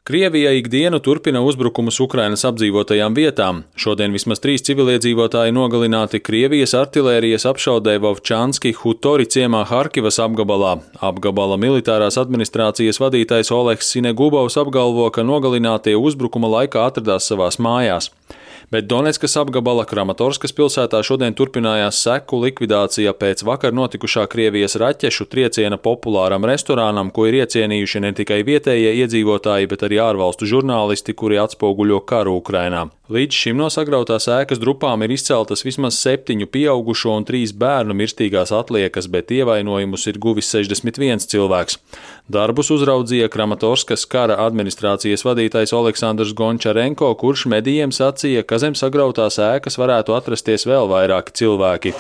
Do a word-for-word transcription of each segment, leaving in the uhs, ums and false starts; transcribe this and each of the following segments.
Krievija ikdienu turpina uzbrukumus Ukrainas apdzīvotajām vietām. Šodien vismaz trīs civiliedzīvotāji nogalināti Krievijas artilērijas apšaudē Vovčanski Hutori ciemā Harkivas apgabalā. Apgabala militārās administrācijas vadītājs Oleks Sinegubovs apgalvo, ka nogalinātie uzbrukuma laikā atradās savās mājās. Bet Doneckas apgabala Kramatorskas pilsētā šodien turpinājās seku likvidācija pēc vakar notikušā Krievijas raķešu trieciena populāram restorānam, ko ir iecienījuši ne tikai vietējie iedzīvotāji, bet arī ārvalstu žurnālisti, kuri atspoguļo karu Ukrainā. Līdz šim no sagrautās ēkas drupām ir izceltas vismaz septiņu pieaugušo un trīs bērnu mirstīgās atliekas, bet ievainojumus ir guvis sešdesmit viens cilvēks. Darbus uzraudzīja Kramatorskas kara administrācijas vadītājs Oleksandrs Gončarenko, kurš medijiem sacīja, ka zem sagrautās ēkas varētu atrasties vēl vairāki cilvēki.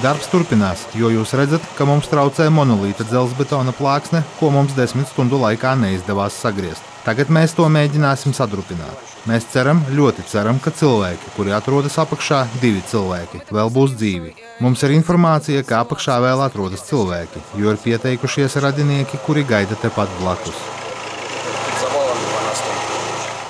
Darbs turpinās, jo jūs redzat, ka mums traucē monolīta dzelzbetona plāksne, ko mums desmit stundu laikā neizdevās sagriezt. Tagad mēs to mēģināsim sadrupināt. Mēs ceram, ļoti ceram, ka cilvēki, kuri atrodas apakšā, divi cilvēki, vēl būs dzīvi. Mums ir informācija, ka apakšā vēl atrodas cilvēki, jo ir pieteikušies radinieki, kuri gaida tepat blakus.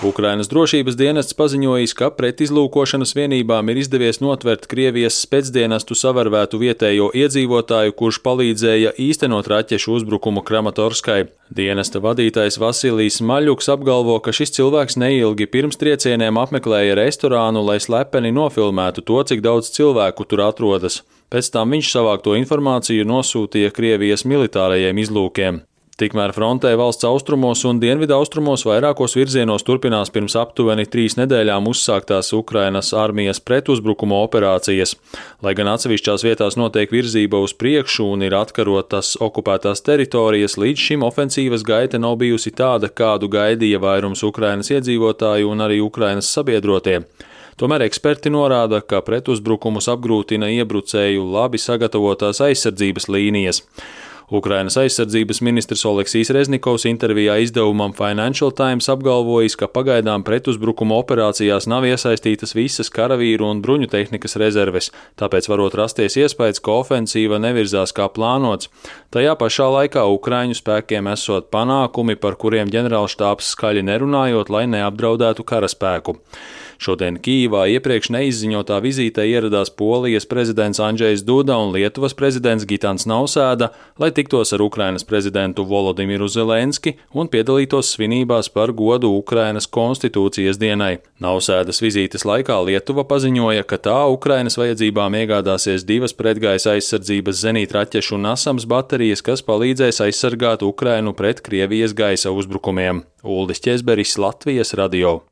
Ukrainas drošības dienests paziņojis, ka pretizlūkošanas vienībām ir izdevies notvert Krievijas specdienestu savarvētu vietējo iedzīvotāju, kurš palīdzēja īstenot raķešu uzbrukumu Kramatorskai. Dienesta vadītājs Vasilijs Maļuks apgalvo, ka šis cilvēks neilgi pirms triecieniem apmeklēja restorānu, lai slepeni nofilmētu to, cik daudz cilvēku tur atrodas. Pēc tam viņš savākto informāciju nosūtīja Krievijas militārajiem izlūkiem. Tikmēr frontē valsts austrumos un dienvidu austrumos vairākos virzienos turpinās pirms aptuveni trīs nedēļām uzsāktās Ukrainas armijas pretuzbrukuma operācijas. Lai gan atsevišķās vietās notiek virzība uz priekšu un ir atkarotas okupētās teritorijas, līdz šim ofensīvas gaita nav bijusi tāda, kādu gaidīja vairums Ukrainas iedzīvotāju un arī Ukrainas sabiedrotie. Tomēr eksperti norāda, ka pretuzbrukumus apgrūtina iebrucēju labi sagatavotās aizsardzības līnijas. Ukrainas aizsardzības ministrs Oleksijs Reznikovs intervijā izdevumam Financial Times apgalvojis, ka pagaidām pretuzbrukuma operācijās nav iesaistītas visas karavīru un bruņu tehnikas rezerves, tāpēc varot rasties iespējas, ka ofensīva nevirzās kā plānots. Tajā pašā laikā Ukraiņu spēkiem esot panākumi, par kuriem ģenerālštābs skaļi nerunājot, lai neapdraudētu karaspēku. Šodien Kijivā iepriekš neizziņotā vizītē ieradās Polijas prezidents Andžejs Duda un Lietuvas prezidents Gitans Nausēda, lai tiktos ar Ukrainas prezidentu Volodimiru Zelenski un piedalītos svinībās par godu Ukrainas konstitūcijas dienai. Nausēdas vizītes laikā Lietuva paziņoja, ka tā Ukrainas vajadzībām iegādāsies divas pretgaisa aizsardzības zenītraķešu Nasams baterijas, kas palīdzēs aizsargāt Ukrainu pret Krievijas gaisa uzbrukumiem. Uldis Ķezberis, Latvijas radio.